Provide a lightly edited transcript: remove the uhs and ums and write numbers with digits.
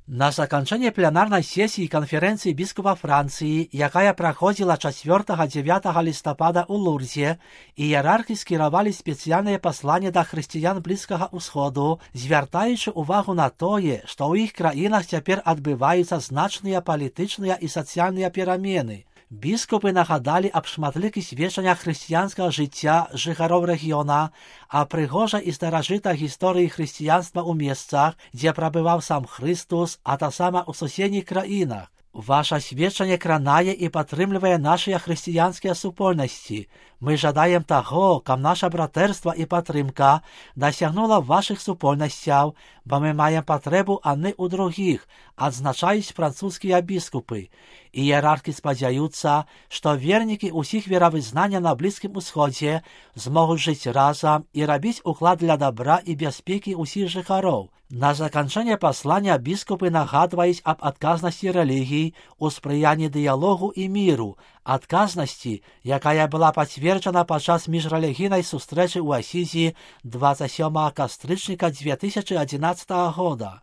На заканчэнне пленарнай сесіі канферэнцыі біскупа Францыі, якая праходзіла 4-9 лістапада ў Лурдзе, іерархі скіравалі спецыяльнае пасланне да хрысціян Блізкага ўсходу, звяртаючы ўвагу на тое, што ў іх краінах цяпер адбываюцца значныя палітычныя і сацыяльныя перамены. Біскупы нагадалі аб шматлікіх сведчаннях хрысціянскага жыцця жыхароў рэгіёна, а прыгожай і старажытай гісторыі хрысціянства ў месцах, дзе прабываў сам Хрыстус, а таксама ў суседніх краінах. Ваша сведчанне кранае і падтрымлівае нашыя хрысціянскія супольнасці. Мы жадаем таго, каб наша братэрства і падтрымка дасягнула вашых супольнасцяў, бо мы маем патрэбу адны ў другіх, адзначаюць французскія біскупы. Іерархі спадзяюцца, што вернікі ўсіх веравызнання на Блізкім Усходзе змогуць жыць разам і рабіць уклад для дабра і бяспекі ўсіх жыхароў. На заканчэнне паслання біскупы нагадваюць аб адказнасці рэлігій у спрыянні дыялогу і міру, адказнасці, якая была пацверджана падчас міжрэлігійнай сустрэчы ў Асізі 27 кастрычніка 2011 года.